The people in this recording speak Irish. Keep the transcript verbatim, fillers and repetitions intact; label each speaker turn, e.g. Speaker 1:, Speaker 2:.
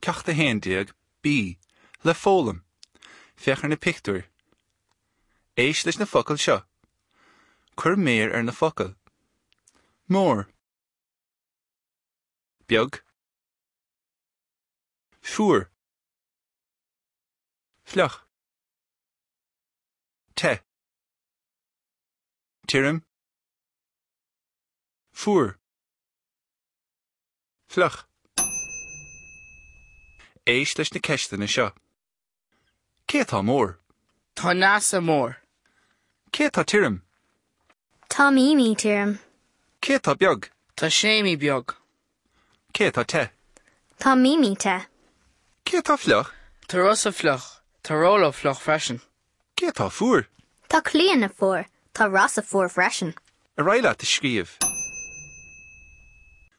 Speaker 1: Ceacht a haon déag B le foghlaim. Féach ar na pictiúir. Éist leis na focail seo. Cuir méar ar na focail. Mór. Beag. Fuar. Fliuch. Te. Tirim. Fuar. Fliuch. Éist leis na ceisteanna seo. Cé atá mór?
Speaker 2: Tá Neasa mór.
Speaker 1: Cé atá tirim?
Speaker 3: Tá Mimi tirim.
Speaker 1: Cé atá beag?
Speaker 2: Tá Séimí beag.
Speaker 1: Cé atá te?
Speaker 3: Tá Mimi te.
Speaker 1: Cé atá fliuch?
Speaker 2: Tá Rosa fliuch. Tá Rolo fliuch freisin.
Speaker 1: Cé atá fuar?
Speaker 3: Tá Clíona fuar. Tá Rosa fuar freisin.
Speaker 1: Ar aghaidh leat ag scríobh.